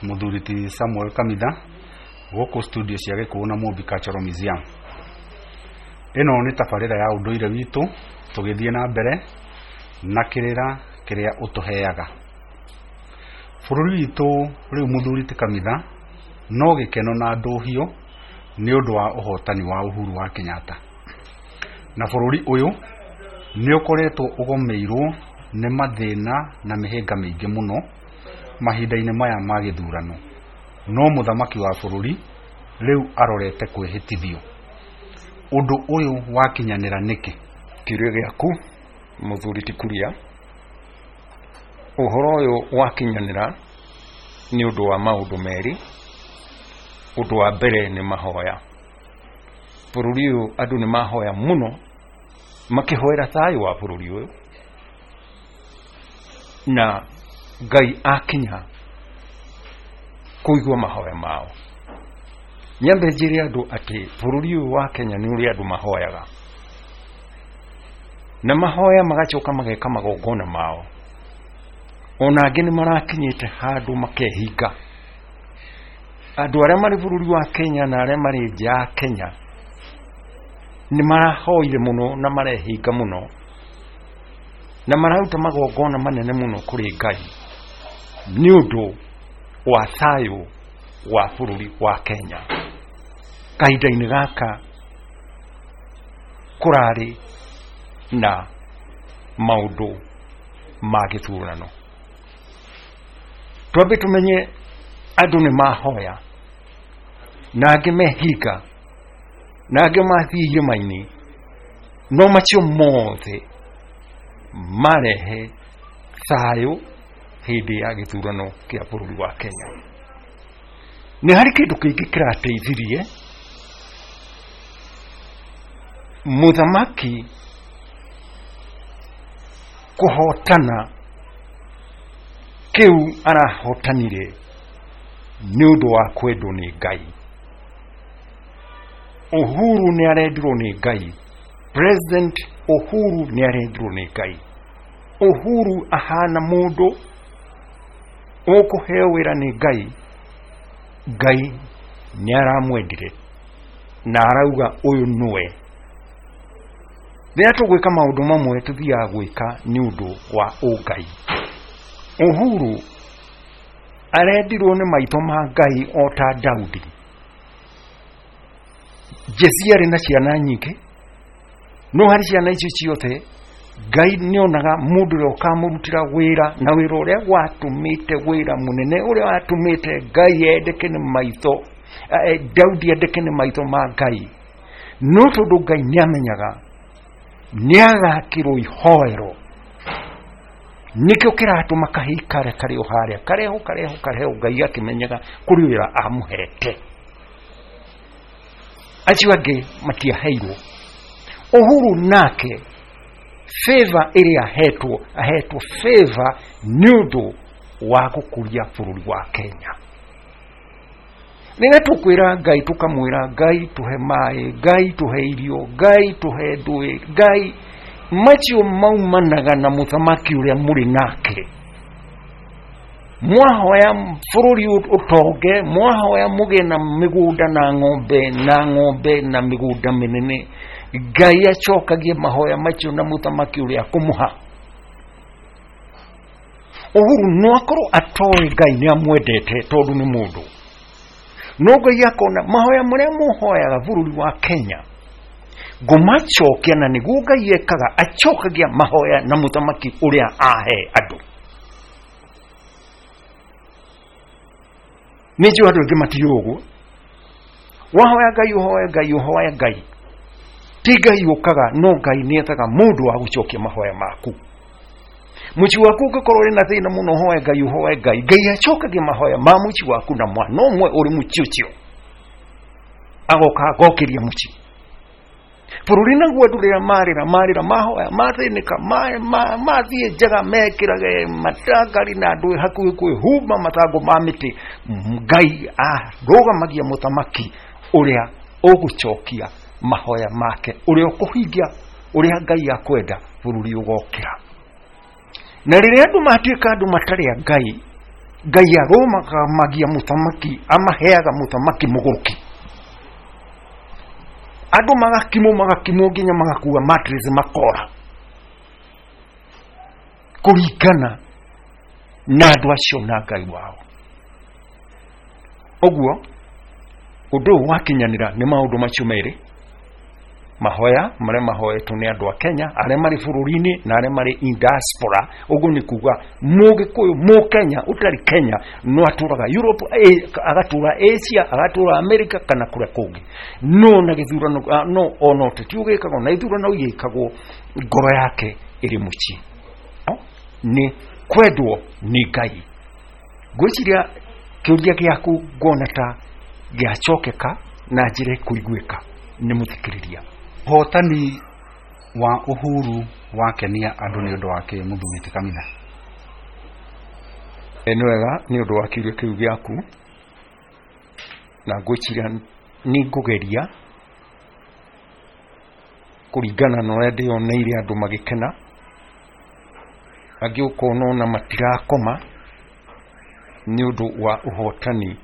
Mũthuri ti Samuel Kamitha gũkũ studio cia Gĩkũyũ na Mũmbi Cultural Museum. Ĩno nĩ tabarĩra ya ũndũire witũ tũgĩthiĩ na mbere na kĩrĩra kĩrĩa ũtũheaga. Bũrũri witũ rĩu mũthuri ti Kamitha no gĩkeno na ndũhio nĩ ũndũ wa ũhotani wa Uhuru wa Kenyatta. Na bũrũri ũyũ nĩ ũkoretwo ũgomeirwo nĩ mathĩna na mĩhĩnga mĩingĩ mũno mahinda-inĩ maya ma gĩthurano. No mũthamaki wa bũrũri rĩu arorete kwĩhĩtithio. Ũndũ ũyũ wakinyanĩra nĩkĩ? Kĩũria gĩaku mũthuri ti Kuria, ũhoro ũyũ wakinyanĩra nĩ ũndũ wa maũndũ merĩ. Ũndũ wa mbere nĩ mahoya. Bũrũri ũyũ andũ nĩ mahoya mũno makĩhoera thayũ wa bũrũri ũyũ, na Ngai akinya kũigua mahoya mao. Nyambe njĩre andũ atĩ bũrũri ũyũ wa Kenya nĩ ũrĩ andũ mahoyaga, na mahoya magacoka mageka magongona mao. Ona angĩ nĩ marakinyĩte handũ makehinga. Andũ arĩa marĩ bũrũri wa Kenya na arĩa marĩ nja ya Kenya nĩ marahoire mũno na marehinga mũno na mararuta magongona manene mũno kũrĩ Ngai nĩ ũndũ wa thayũ wa bũrũri wa Kenya. Kahinda-inĩ gaka kũrarĩ na maũndũ ma gĩthurano. Twambe tũmenye andũ nĩ mahoya na angĩ mehinga na angĩ mathiĩ irĩma-inĩ, no macio mothe marehe thayũ hĩndĩ ya gĩthurano kĩa bũrũri wa Kenya. Nĩ harĩ kĩndũ kĩngĩ kĩrateithirie mũthamaki kũhotana kĩu arahotanire nĩ ũndũ wa kwendwo nĩ Ngai. Uhuru nĩ arendirwo nĩ Ngai. President Uhuru nĩ arendirwo nĩ Ngai. Uhuru ahana mũndũ ũkũheo wĩra nĩ Ngai. Ngai nĩ aramwendire na arauga ũyũ nĩwe. Rĩrĩa tũgwĩka maũndũ mamwe tũthiaga gwĩka nĩ ũndũ wa ũngai. Uhuru arendirwo nĩ maitho ma Ngai o ta Daudi. Jesi arĩ na ciana nyingĩ, no harĩ ciana icio ciothe Ngai nĩonaga mũndũ ũrĩa ũkamũrutĩra wĩra, na wĩra ũrĩa watũmĩte wĩra mũnene ũrĩa watũmĩte Ngai endeke nĩ maitho, Daudi endeke nĩ maitho ma Ngai. No tondũ Ngai nĩamenyaga nĩagakĩrwo ihoero, nĩkĩo kĩratũma kahĩi karĩa karĩ o harĩa kareho kareho kareho, Ngai akĩmenyaga kũrĩ wĩra amũhete. Acio angĩ matiaheirwo. Uhuru nake favor ĩrĩa ahetwo, ahetwo favor nĩ ũndũ wa gũkũria bũrũri wa Kenya. Rĩrĩa tũkwĩra Ngai tũkamwĩra Ngai tũhe maĩ, Ngai tũhe irio, Ngai tũhe ndũĩ, Ngai, macio maumanaga na mũthamaki ũrĩa mũrĩ nake. Mwahoya bũrũri ũtonge, mwahoya mũgĩe na mĩgũnda na ng'ombe na ng'ombe na mĩgũnda mĩnene, Ngai acokagie mahoya macio na mũthamaki ũrĩa akũmũha. Uhuru no akorwo atoĩ Ngai nĩ amwendete tondũ nĩ mũndũ, no Ngai akona mahoya marĩa mũhoyaga bũrũri wa Kenya ngũmacokia, na nĩguo Ngai ekaga, acokagia mahoya na mũthamaki ũrĩa ahe andũ. Nĩ njũĩ andũ aingĩ matiũĩ ũguo. Wahoya Ngai, ũhoe Ngai, ũhoe Ngai, ti Ngai ũkaga, no Ngai nĩ ethaga mũndũ wa gũcokia mahoya maku. Mũciĩ waku ũngĩkorwo ũrĩ na thĩna mũno, ũhoe Ngai, ũhoe Ngai, Ngai acokagia mahoya ma mũciĩ waku na mwana ũmwe ũrĩ mũciĩ ũcio agoka agokĩria mũciĩ. Bũrũri naguo andũ rĩrĩa marĩra marĩra mahoya mathĩnĩka mathiĩ njaga mekĩrage matangari na andũ hakuhĩ kwĩhumba mathangũ ma mĩtĩ, Ngai arũgamagia mũthamaki ũrĩa ũgũcokia mahoya make, ũrĩa ũkũhingia ũrĩa Ngai akwenda bũrũri ũgokĩra. Na rĩrĩa andũ matuĩka andũ matarĩ a Ngai, Ngai arũgamagia mũthamaki, amaheaga mũthamaki mũgũrũki. Andũ magakimwo magakimwo nginya magakua mattress makora, kũringana na andũ acio na Ngai wao. Ũguo ũndũ ũyũ wakinyanĩra nĩ maũndũ macio merĩ, mahoya marĩa mahoetwo nĩ andũ a Kenya arĩa marĩ bũrũri-inĩ na arĩa marĩ in diaspora. Ũguo nĩ kuga mũgĩkũyũ, mũkenya ũtarĩ Kenya no atũraga Europe, agatũra Asia, agatũra America kana kũrĩa kũngĩ, no na gĩthurano, no ona ũteti ũgĩkagwo na ithurano igĩkagwo, ngoro yake ĩrĩ mũciĩ. Nĩ kwendwo nĩ Ngai. Ngwĩciria kĩũria gĩaku nguona ta gĩacokeka na njĩra ĩkũiguĩka nĩ mũthikĩrĩria. Ũhotani wa Uhuru wakenia andũ nĩ ũndũ wa kĩ, mũthuri ti Kamitha? Nĩ wega nĩ ũndũ wa kĩũria kĩu gĩaku, na ngwĩciria nĩ ngũgeria kũringana na ũrĩa ndĩyoneire andũ magĩkena, angĩ ũkona ona matirakoma nĩ ũndũ wa ũhotani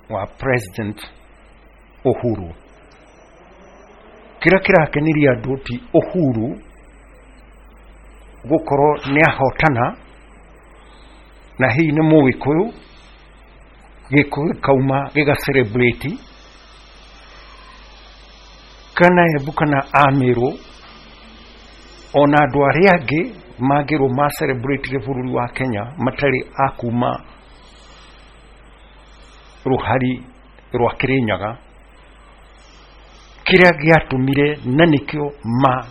wa President Uhuru. Kĩrĩa kĩrakenirie andũ ti Uhuru gũkorwo nĩ ahotana, na hihi nĩ mũgĩkũyũ, gĩkũyũ gĩkauma gĩga celebrate, kana Embu kana Amĩrũ, ona andũ arĩa angĩ mangĩrwo ma celebrate bũrũri wa Kenya matarĩ a kuma rũhari rwa Kĩrĩnyaga. Kĩrĩa gĩatũmire na nĩkĩo ma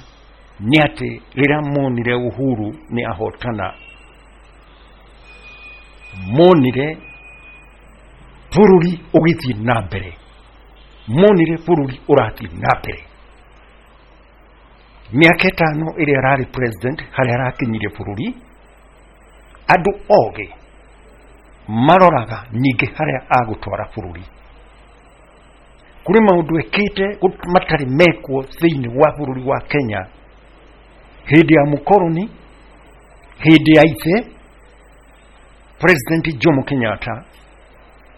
nĩ atĩ rĩrĩa monire Uhuru nĩ ahotana, monire bũrũri ũgĩthiĩ na mbere, monire bũrũri ũrathiĩ na mbere. Mĩaka 5 ĩrĩa ararĩ president, harĩa arakinyirie bũrũri, andũ ogĩ maroraga ningĩ harĩa agũtwara bũrũri. Kũrĩ maũndũ ekĩte matarĩ mekwo thĩinĩ wa bũrũri wa Kenya hĩndĩ ya mũkoroni, hĩndĩ ya ithe President Jomo Kenyatta,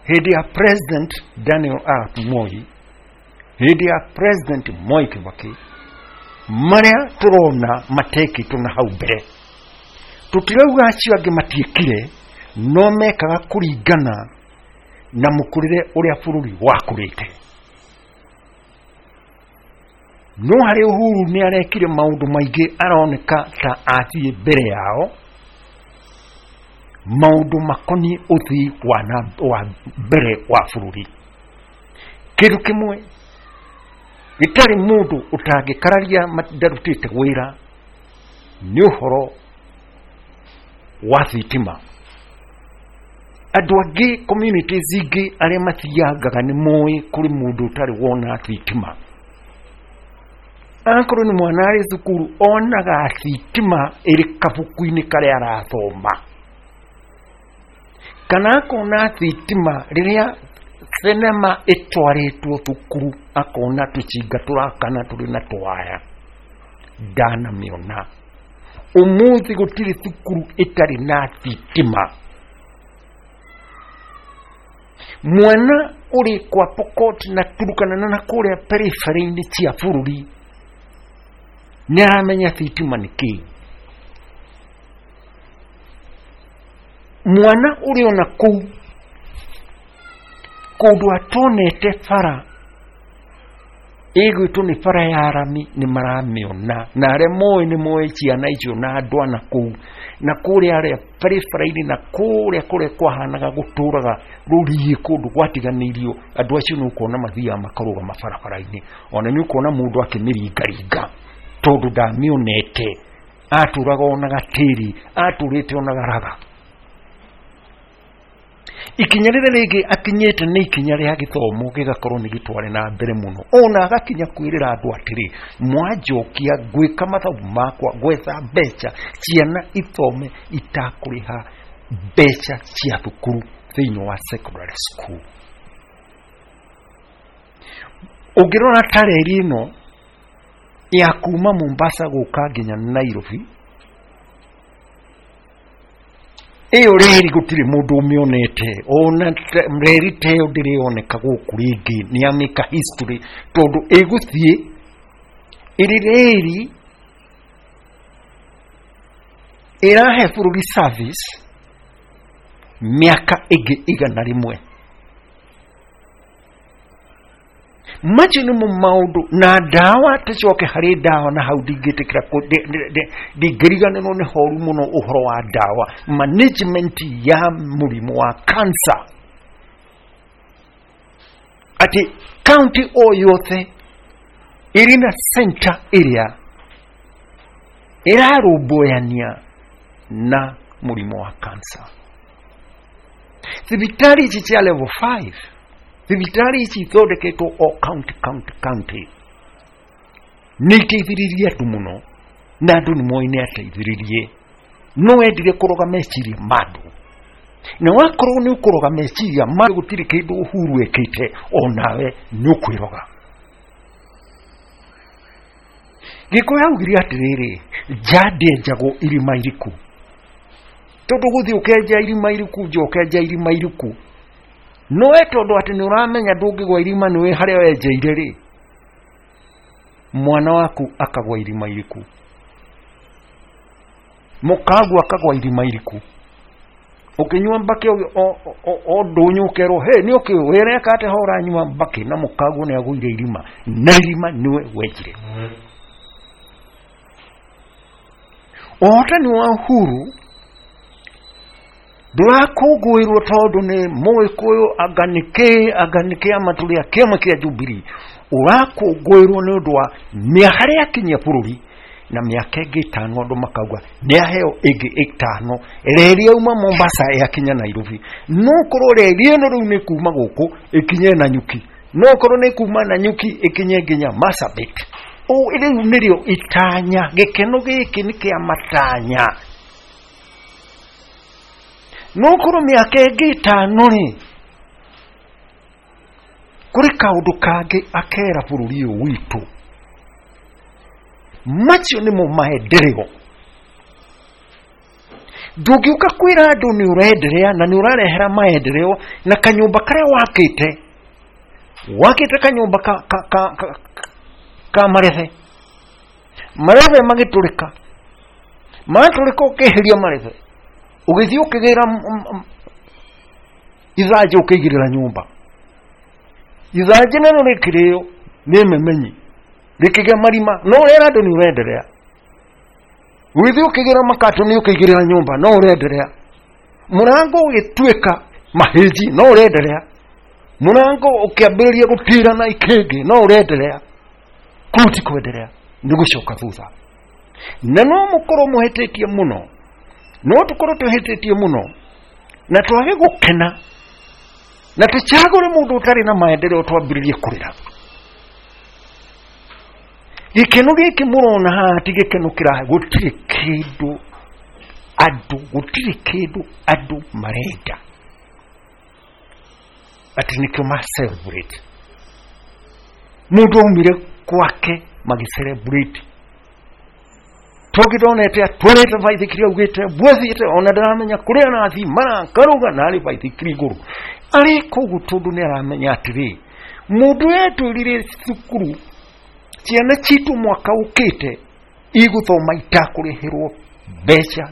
hĩndĩ ya President Daniel Arap Moi, hĩndĩ ya President Mwai Kibaki, marĩa tũrona matekĩtwo na hau mbere. Tũtirauga acio angĩ matiĩkire, no mekaga kũringana na mũkũrĩre ũrĩa bũrũri wakũrĩte. No harĩ Uhuru nĩ arekire maũndũ maingĩ aroneka ta athiĩ mbere yao, maũndũ makoniĩ ũthii wa mbere wa bũrũri. Kĩndũ kĩmwe gĩtarĩ mũndũ ũtangĩkararia ndarutĩte wĩra nĩ ũhoro wa thitima. Andũ angĩ communities ingĩ arĩa mathiangaga nĩ moĩ kũrĩ mũndũ ũtarĩ wona thitima. Akorwo nĩ mwana arĩ thukuru, onaga thitima ĩrĩ kabuku-inĩ karĩa arathoma, kana akona thitima rĩrĩa thenema ĩtwarĩtwo thukuru, akona tũcinga tũrakana tũrĩ na twaya. Ndanamĩona. Ũmũthĩ gũtirĩ thukuru ĩtarĩ na thitima. Mwana ũrĩ kwa Pokot na Turkana na kũrĩa periphery-inĩ cia bũrũri nĩ aramenya thitima nĩ kĩĩ. Mwana ũrĩ ona kũu kũndũ atonete bara ĩgwĩtwo nĩ bara ya rami nĩ maramĩona, na arĩa moĩ nĩ moĩ ciana icio na andũ ana kũu na kũrĩa arĩa barabara-inĩ na kũrĩa kũrĩa kwahanaga gũtũraga rũriĩ kũndũ gwatiganĩirio, andũ acio nĩ ũkuona mathiaga makarũgama barabara-inĩ, ona nĩ ũkuona mũndũ akĩmĩringaringa tondũ ndamĩonete, atũraga onaga tĩri, atũrĩte onaga raga. Ikinya rĩrĩa rĩngĩ akinyĩte nĩ ikinya rĩa gĩthomo gĩgakorwo nĩ gĩtware na mbere mũno, ona agakinya kwĩrĩra andũ atĩrĩ, mwanjokia ngwĩka mathabu makwa, ngwetha mbeca ciana ithome itakũrĩha mbeca cia thukuru thĩinĩ wa secondary school. Ũngĩrora ta reri ĩno ya kuma Mombasa gũka nginya Nairobi, Ĩyo reri gũtirĩ mũndũ ũmĩonete, ona reri ta ĩyo ndĩrĩoneka gũkũ rĩngĩ, nĩ yamĩka history, tondũ ĩgũthiĩ ĩrĩ reri ĩrahe bũrũri service mĩaka ĩngĩ 100. Macio nĩmo maũndũ na ndawa. Tũcoke harĩ ndawa, na hau ndingĩtĩkĩra ndingĩriganĩrwo nĩ horu mũno ũhoro wa ndawa, management ya mũrimũ wa cancer, atĩ county o yothe ĩrĩ na center ĩrĩa ĩrarũmbũyania na mũrimũ wa cancer. Thibitarĩ ici cia level 5, thibitarĩ ici ithondeketwo o county county county, nĩ iteithĩrĩirie andũ mũno, na andũ nĩ moĩ nĩ ateithĩrĩrie. No wendire kũroga meciria ma andũ, na wakorwo nĩ ũkũroga meciria ma gũtirĩ kĩndũ Uhuru ekĩte, onawe nĩ ũkwĩroga. Gĩkũyũ augire atĩrĩrĩ, nja ndĩenjagwo irima iriku, tondũ gũthiĩ ũkenja irima iriku, nja ũkenja irima iriku, nowe tondũ atĩ nĩ ũramenya ndũngĩgwa irima, nĩwe harĩa wenjeire rĩ, mwana waku akagwa irima iriku, mũkagu akagwa irima iriku, ũkĩnyua mbakĩ o ndũnyũ ũkerwo he nĩ ũkĩ wĩreka atĩ ho ũranyua mbakĩ, na mũkagu nĩ agũire irima, na irima nĩwe wenjire. Ũhotani wa Uhuru ndũrakũngũĩrwo tondũ nĩ Mũgĩkũyũ, anga nĩ kĩ, anga nĩ kĩama tũrĩa kĩama kĩa Jubilee, ũrakũngũĩrwo nĩ ũndũ wa harĩa akinyia bũrũri, na mĩaka ĩngĩ 5 andũ makauga nĩ aheo ĩngĩ 5. Reri yauma Mombasa yakinya Nairobi, no korwo reri ĩno rĩu nĩ kuma gũkũ ĩkinye Nanyuki, no korwo nĩ kuma Nanyuki ĩkinye nginya Marsabit. Rĩu nĩrĩo itanya, gĩkeno gĩkĩ nĩ kĩa matanya. No korwo mĩaka ĩngĩ 5 rĩ, kũrĩ kaũndũ kangĩ akera bũrũri ũyũ witũ. Macio nĩmo maendereo. Ndũngĩũka kwĩra andũ nĩ ũrenderea na nĩ ũrarehera maendereo na kanyũmba karĩa wakĩte, wakĩte kanyũmba ka marethe, marethe magĩtũrĩka, matũrĩka ũkĩeheria marethe, ũgĩthiĩ ũkĩgĩra ithanjĩ ũkĩigĩrĩra nyũmba, ithanjĩ narĩo rĩkĩrĩo nĩ memenyi rĩkĩgĩa marima, no ũrera andũ nĩ ũrenderea. Ũgĩthiĩ ũkĩgĩra makatoni ũkĩigĩrĩra nyũmba, no ũrenderea. Mũrango ũgĩtuĩka mahĩnji, no ũrenderea. Mũrango ũkĩambĩrĩria gũtira na ikĩngĩ, no ũrenderea. Kũu ti kwenderea, nĩ gũcoka thutha. Na no mũkorwo mũhĩtĩtie mũno, no tũkorwo tũhĩtĩtie mũno, na twage gũkena, na tũcagũre mũndũ ũtarĩ na maendereo twambĩrĩrie kũrĩra. Gĩkeno gĩkĩ mũrona haha ti gĩkeno kĩrahe, gũtirĩ kĩndũ andũ, gũtirĩ kĩndũ andũ marenda atĩ nĩkĩo ma celebrate. Mũndũ aumire gwake magĩ celebrate, tũngĩndonete atwarĩte baithikiri augĩte bwethiĩte, ona ndaramenya kũrĩa arathiĩ, marakaruga na arĩ baithikiri igũrũ, arĩ kũu tondũ nĩ aramenya atĩrĩ, mũndũ etwĩrire cukuru ciana citũ mwaka ũkĩte igũthoma itakũrĩhĩrwo mbeca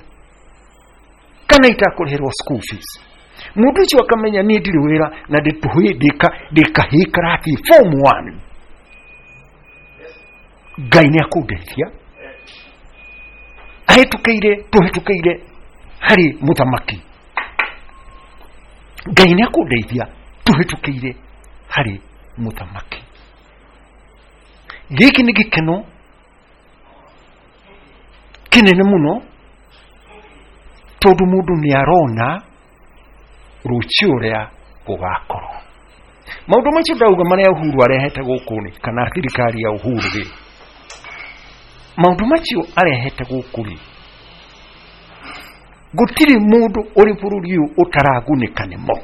kana itakũrĩhĩrwo school fees. Mũndũ ũcio akamenya niĩ ndirĩ wĩra na ndĩkahĩ karathi form 1, Ngai nĩ akũndeithia. Ahĩtũkĩire, tũhĩtũkĩire harĩ mũthamaki, Ngai nĩ akũndeithia, tũhĩtũkĩire harĩ mũthamaki. Gĩkĩ nĩ gĩkeno kĩnene mũno, tondũ mũndũ nĩ arona rũciũ ũrĩa gũgakorwo. Maũndũ macio ndauga marĩa Uhuru arehete gũkũ nĩ, kana thirikari ya Uhuru rĩ, maũndũ macio arehete gũkũ rĩ, gũtirĩ mũndũ ũrĩ bũrũri ũyũ ũtaragunĩka nĩmo.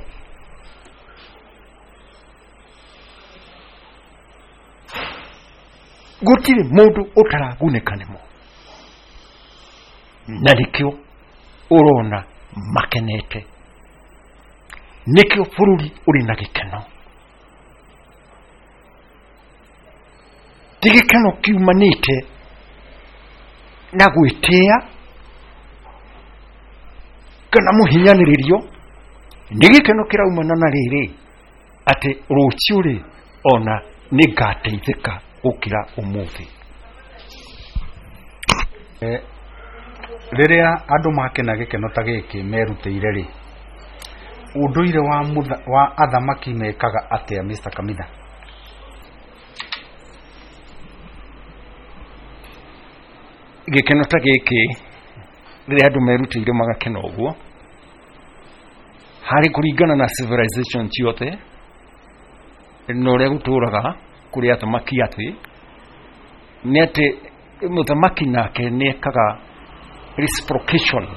Gũtirĩ mũndũ ũtaragunĩka nĩmo, na nĩkĩo ũrona makenete. Nĩkĩo bũrũri ũrĩ na gĩkeno. Ti gĩkeno kiumanĩte na gwĩtĩa kana mũhinyanĩrĩrio, nĩ gĩkeno kĩraumana na rĩrĩ atĩ rũciũ rĩ ona nĩ ngateithĩka gũkĩra ũmũthĩ. Rĩrĩa andũ makena gĩkeno ta gĩkĩ merutĩire rĩ, ũndũire wa athamaki mekaga atĩa, Mr. Kamitha? Gĩkeno ta gĩkĩ rĩrĩa andũ merutĩire magakena ũguo, harĩ kũringana na civilization ciothe na ũrĩa gũtũraga kũrĩ athamaki, atĩ nĩ atĩ mũthamaki nake nĩ ekaga reciprocation.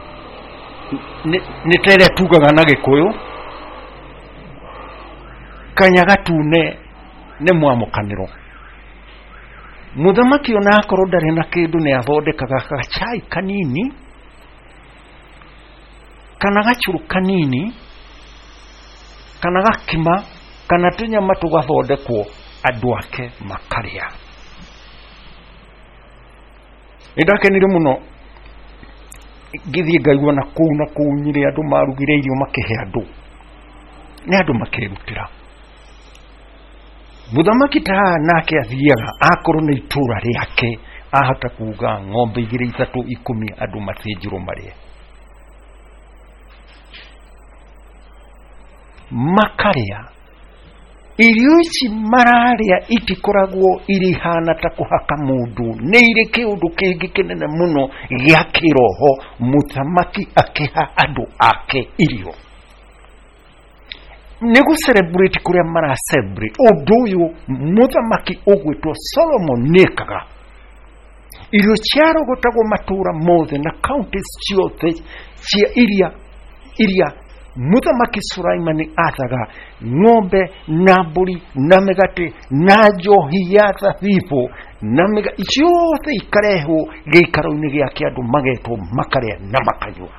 Nĩ ta ĩrĩa tugaga na Gĩkũyũ, kanya gatune nĩ mwamũkanĩro. Mũthamaki ona akorwo ndarĩ na kĩndũ nĩ athondekaga gacai kanini kana gacũrũ kanini kana gakima kana tũnyama tũgathondekwo andũ ake makarĩa. Nĩ ndakenire mũno ngĩthiĩ ngaigua na kũu na kũu Nyĩrĩ andũ marugire irio makĩhe andũ, nĩ andũ makerutĩra. Mũthamaki ta haha nake athiaga akorwo nĩ itũra rĩake, ahota kuga ng'ombe 2 3 10 andũ mathĩnjĩrwo marĩe, makarĩa. Irio ici mararĩa itikoragwo irĩ hana ta kũhaka mũndũ, nĩ irĩ kĩũndũ kĩngĩ kĩnene mũno gĩa kĩroho. Mũthamaki akĩha andũ ake irio nĩ gũ celebrate kũrĩa mara celebrate. Ũndũ ũyũ mũthamaki ũgwĩtwo Solomon nĩekaga. Irio ciarogotagwo matũra mothe na counties ciothe cia iria mũthamaki Sulaimani athaga, ng'ombe na mbũri na mĩgate na njohi ya thabibũ na ciothe ikarehwo gĩikaro-inĩ gĩake, andũ magetwo makarĩa na makanyua.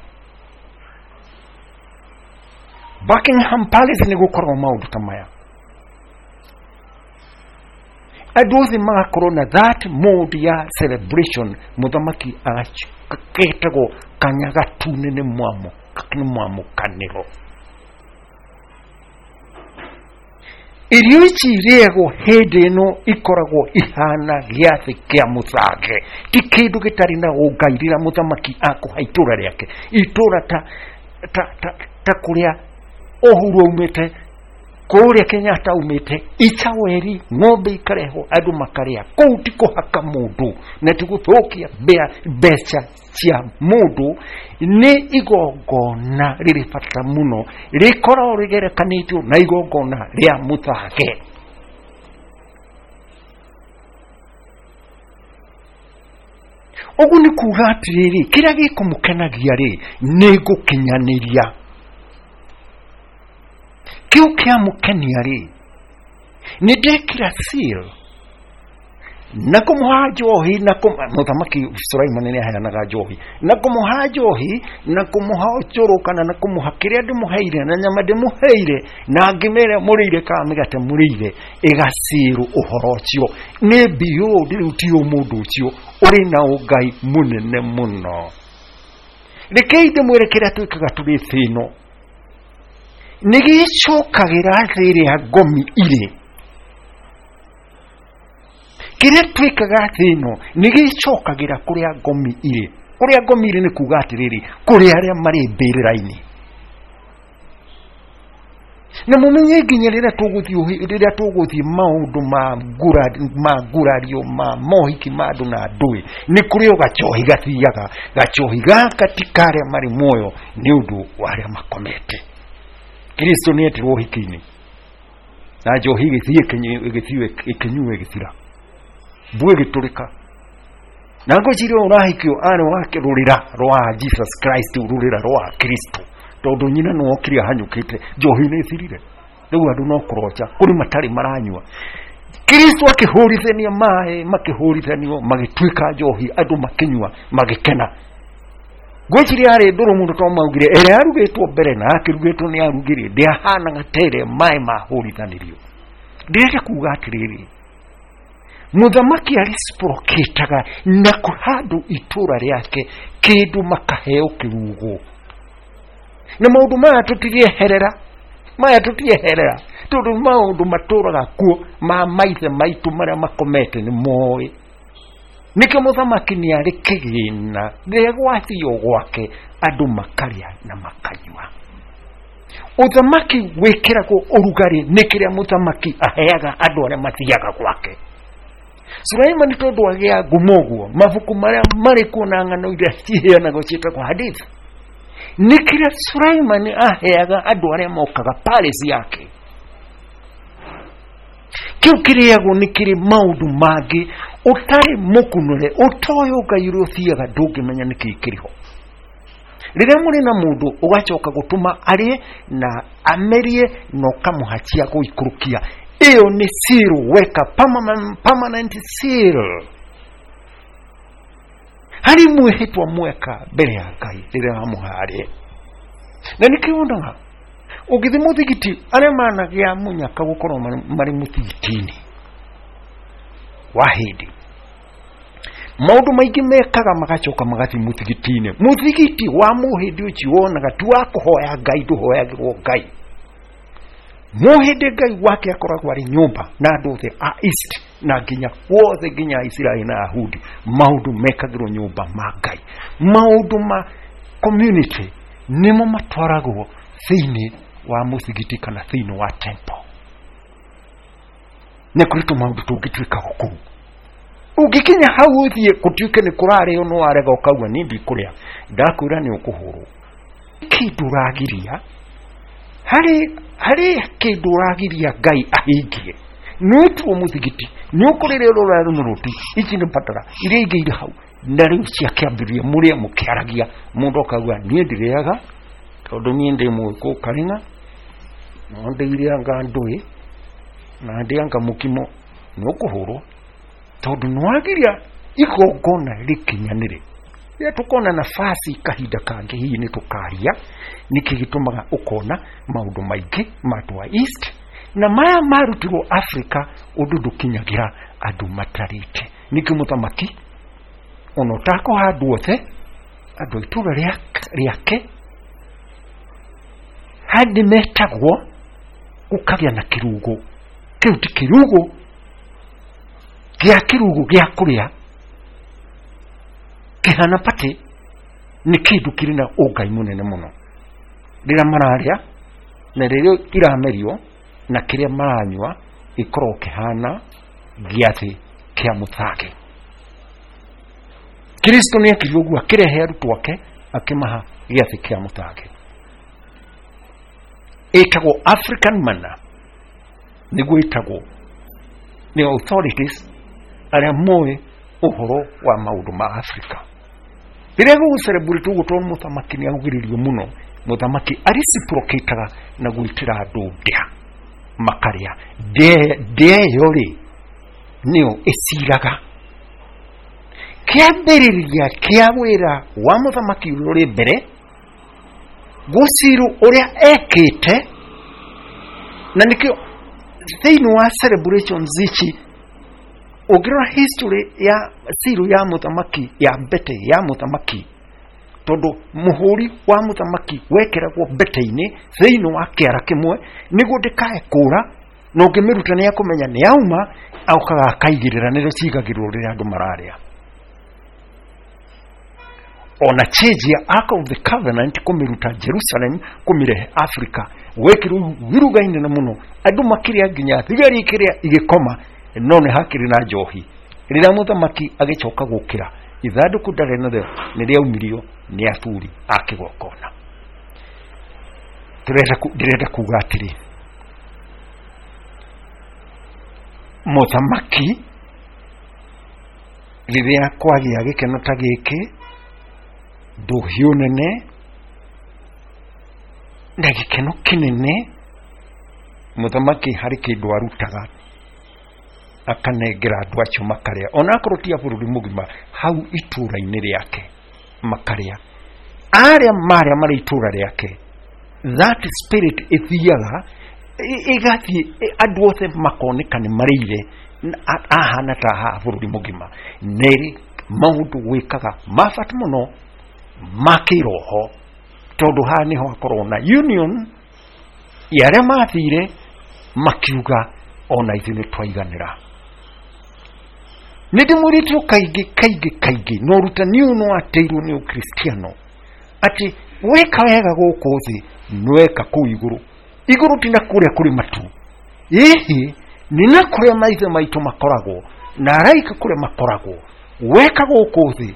Buckingham Palace nĩ gũkorwo maũndũ ta maya, andũ othe magakorwo na that mode ya celebration. Mũthamaki agetagwo kanya gatune nĩ mwamũkanĩro. Irio ici irĩagwo hĩndĩ ĩno ikoragwo ihana gĩathĩ kĩa mũthange, ti kĩndũ gĩtarĩ na ũngai. Rĩrĩa mũthamaki akũha itũra rĩake, itũra ta kũrĩa Uhuru aumĩte, kũrĩa Kenyatta aumĩte, icaweri ng'ombe ikarehwo andũ makarĩa. Kũu ti kũhaka mũndũ na ti gũthũkia mbeca cia mũndũ, nĩ igongona rĩrĩ bata mũno, rĩkoragwo rĩgerekanĩtio na igongona rĩa mũthange. Ũguo nĩ kuga atĩrĩrĩ, kĩrĩa gĩkũmũkenagia rĩ nĩ ngũkinyanĩria. Kĩu kĩamũkenia rĩ nĩ ndekĩra seal na kũmũha njohi na mũthamaki Sulaimani nĩ aheanaga njohi na kũmũha njohi na kũmũha ũcũrũ kana na kũmũha kĩrĩa ndĩmũheire na nyama ndĩmũheire na ngima ĩrĩa mũrĩire kana mĩgate mũrĩire, ĩgacirwo ũhoro ũcio. Nĩ beyond rĩu, ti mũndũ ũcio ũrĩ na ũngai mũnene mũno. Rekei ndĩmwĩre kĩrĩa twĩkaga tũrĩ thĩ ĩno nĩ gĩcokagĩra thĩ ĩrĩa ngomi irĩ. Kĩrĩa twĩkaga thĩ ĩno nĩ gĩcokagĩra kũrĩa ngomi irĩ. Kũrĩa ngomi irĩ nĩ kuga atĩrĩrĩ, kũrĩ arĩa marĩ mbĩrĩra-inĩ. Na mũmenye nginya rĩrĩa tũgũthiĩ maũndũ ma ngurario ma mohiki ma andũ na ndũĩ, nĩ kũrĩ o gacohi gathiaga. Gacohi gaka ti karĩa marĩ muoyo, nĩ ũndũ wa arĩa makomete. Kristo nĩ etirwo ũhiki-inĩ na njohi ĩgĩthiĩ ĩkĩnyuo ĩgĩthira, mbuu ĩgĩtũrĩka. Na ngwĩciria ũrahikio arĩ wa rũrĩra rwa Jesus Christ, rũrĩra rwa Kristo, tondũ nyina nĩ okire ahanyũkĩte, njohi nĩ ĩthirire. Rĩu andũ no kũroca, kũrĩ matarĩ maranyua. Kristo akĩhũrithania maĩ, makĩhũrithanio magĩtuĩka njohi, andũ makĩnyua magĩkena. Ngwĩciria yarĩ ndũrũ mũno tondũ maugire ĩrĩa yarugĩtwo mbere na yakĩrugĩtwo nĩ arugĩrĩ ndĩahanaga ta ĩrĩa maĩ mahũrithanĩrio. Ndĩrenda kuga atĩrĩrĩ, mũthamaki areciprocataga na kũhandũ itũra rĩake kĩndũ makaheo kĩrugo. Na maũndũ maya tũtirieherera, maya tũtieherera tondũ nĩ maũndũ matũraga kuo ma maithe maitũ marĩa makomete nĩ moĩ. Nĩkĩo mũthamaki nĩ arĩ kĩgĩna rĩrĩa gwathio gwake andũ makarĩa na makanyua. Ũthamaki wĩkĩragwo ũrugarĩ nĩ kĩrĩa mũthamaki aheaga andũ arĩa mathiaga gwake. Suleimani tondũ agĩa ngumo ũguo, mabuku marĩa marĩ kuo na ng'ano iria ciheanagwo ciĩtagwo hadith, nĩ kĩrĩa Suleimani aheaga andũ arĩa mokaga palace yake. Kĩu kĩrĩagwo nĩ kĩrĩ maũndũ mangĩ ũtarĩ mũkunũre, ũtoĩ Ngai ũrĩa ũthiaga ndũngĩmenya nĩkĩ kĩrĩ ho. Rĩrĩa mũrĩ na mũndũ ũgacoka gũtũma arĩe na amerie na ũkamũhacia gũikũrũkia, ĩyo nĩ seal, weka permanent seal. Harĩ mwĩhĩtwa mweka mbere ya Ngai rĩrĩa wamũha arĩe. Na nĩkĩo wonaga ũngĩthiĩ mũthigiti, arĩa managĩa mũnyaka gũkorwo marĩ mũthigiti-inĩ wa hĩndĩ, maũndũ maingĩ mekaga magacoka magathiĩ mũthigiti-inĩ. Mũthigiti wa mũhĩndĩ ũcio wonaga ti wa kũhoya Ngai, ndũhoyagĩrwo Ngai. Mũhĩndĩ Ngai wake akoragwo arĩ nyũmba na andũ othe a East na nginya wothe nginya Isiraeli na Yahudi, maũndũ mekagĩrwo nyũmba ma Ngai. Maũndũ ma community nĩmo matwaragwo thĩinĩ wa mũthigiti kana thĩinĩ wa temple. Nĩ kũrĩ tũmaũndũ tũngĩ twĩkagwo kũu. Ũngĩkinya hau ũthiĩ gũtuĩke nĩ kũrarĩo no warega ũkauga niĩ ndikũrĩa, ndakwĩra nĩ ũkũhũrwo. Kĩndũ ũragiria harĩ kĩndũ ũragiria Ngai ahingie. Nĩ ũtuo mũthigiti, nĩ ũkũrĩrĩa ũrĩa rũnũrũti, ici nĩ batara iria ingĩ irĩ hau. Na rĩu ciakĩambĩrĩria mũrĩe mũkĩaragia, mũndũ akauga niĩ ndirĩaga tondũ niĩ ndĩ mũgĩkũyũ karĩng'a, no ndĩirĩanga ndũĩ na ndĩanga mũkimo. Nĩ ũkũhũrwo tondũ nĩ wagiria igongona rĩkinyanĩre. Rĩrĩa tũkona nafasi kahinda kangĩ hihi nĩ tũkaria nĩkĩ gĩtũmaga ũkona maũndũ maingĩ ma andũ a East na maya marutirwo Africa ũndũ ndũkinyagĩra andũ matarĩte. Nĩkĩ mũthamaki ona ũtakũha andũ othe, andũ a itũũra rĩake handĩ metagwo gũkagĩa na kĩrugo. Kĩu ti kĩrugo gĩa kĩrugo gĩa kũrĩa kĩhana patĩ, nĩ kĩndũ kĩrĩ na ũngai mũnene mũno. Rĩrĩa mararĩa na rĩrĩa iramerio na kĩrĩa maranyua gĩkoragwo kĩhana gĩathĩ kĩa mũthage. Kristo nĩ ekire ũguo, akĩrehe arutwo ake akĩmaha gĩathĩ kĩa mũthage. Ĩtagwo African manna, nĩguo ĩtagwo nĩ authorities arĩa moĩ ũhoro wa maũndũ ma Africa. Rĩrĩa gũgũ celebrate ũguo, tondũ mũthamaki nĩ augĩrĩrio mũno, mũthamaki areciprocataga na gwĩtĩra andũ ndĩa makarĩa. Ndĩa ĩyo rĩ nĩyo ĩciraga kĩambĩrĩria kĩa wĩra wa mũthamaki ũrĩa ũrĩ mbere, gũciru ũrĩa ekĩte. Na nĩkĩo thĩinĩ wa celebrations ici ũngĩrora history ya ciru ya mũthamaki ya mbete ya mũthamaki, tondũ mũhũri wa mũthamaki wekĩragwo mbete-inĩ thĩinĩ wa kĩara kĩmwe nĩguo ndĩkae kũra, na ũngĩmĩruta nĩ akũmenya nĩ yauma, okaga akaigĩrĩra, nĩrĩo cigagĩrĩrwo rĩrĩa andũ mararĩa. Ona change ya Ark of the Covenant kũmĩruta Jerusalem kũmĩrehe Africa gwekĩrwo iruga inene mũno, andũ makĩrĩa nginya thigari ikĩrĩa igĩkoma, no nĩ hakĩrĩ na njohi. Rĩrĩa mũthamaki agĩcoka gũkĩra, ithandũkũ ndarĩ narĩo nĩ rĩaumirio nĩ athuri a kĩgongona. Ndĩrenda kuga atĩrĩ, mũthamaki rĩrĩa kwagĩa gĩkeno ta gĩkĩ, ndũhiũ nene na gĩkeno kĩnene, mũthamaki harĩ kĩndũ arutaga akanengera andũ acio makarĩa, onakorwo ti a bũrũri mũgima, hau itũũra-inĩ rĩake makarĩa. Arĩa marĩa marĩ itũra rĩake, that spirit ĩthiaga ĩgathiĩ, andũ othe makoneka nĩ marĩire ahana ta haha bũrũri mũgima. Nĩrĩ maũndũ wĩkaga ma bata mũno ma kĩroho, tondũ haha nĩho hakorwo na union ya arĩa mathire makiuga ona ithuĩ nĩ twaiganĩra. Nĩ ndĩmwĩrĩtwo kaingĩ kaingĩ kaingĩ, na ũrutani ũyũ no ateirwo nĩ ũkristiano, atĩ weka wega gũkũ thĩ nĩweka kũu igũrũ. Igũrũ ti na kũrĩa kũrĩ matu, ĩhĩ nĩ na kũrĩa maithe maitũ makoragwo na araika kũrĩa makoragwo. Weka gũkũ thĩ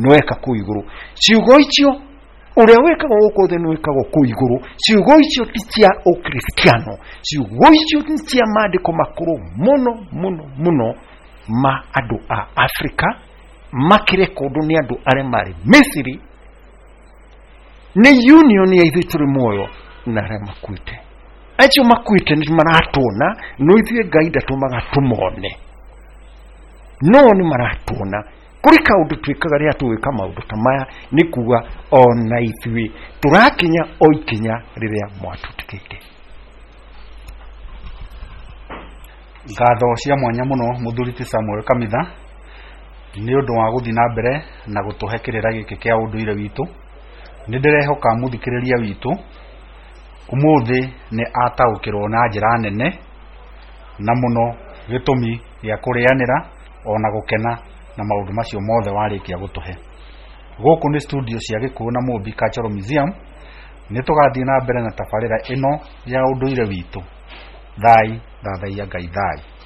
nĩweka kũu igũrũ. Ciugo icio, ũrĩa wĩkaga gũkũ thĩ nĩwĩkagwo kũu igũrũ, ciugo icio ti cia ũkristiano, ciugo icio nĩ cia maandĩko makũrũ mũno mũno mũno ma andũ a Afrika, makĩrekondwo nĩ andũ arĩa marĩ Misiri. Nĩ union ya ithuĩ tũrĩ muoyo na arĩa makuĩte. Acio makuĩte nĩ maratuona, no ithuĩ Ngai ndatũmaga tũmone, no nĩ maratuona. Kũrĩ kaũndũ twĩkaga rĩrĩa tũgwĩka maũndũ ta maya, nĩ kuga ona ithuĩ tũrakinya o ikinya rĩrĩa mwatũtigĩire. Ngatho cia mwanya mũno mũthuri ti Samuel Kamitha nĩ ũndũ wa gũthiĩ na mbere na gũtũhe kĩrĩra gĩkĩ kĩa ũndũire witũ. Nĩ ndĩrehoka mũthikĩrĩria witũ ũmũthĩ nĩ ataũkĩrwo na njĩra nene na mũno gĩtũmi gĩa kũrĩanĩra ona gũkena na maũndũ macio mothe warĩkia gũtũhe. Gũkũ nĩ studio cia Gĩkũyũ na Mũmbi Cultural Museum. Nĩ tũgathiĩ na mbere na tabarĩra ĩno ya ũndũire witũ. Thai thathaiya Ngai thai.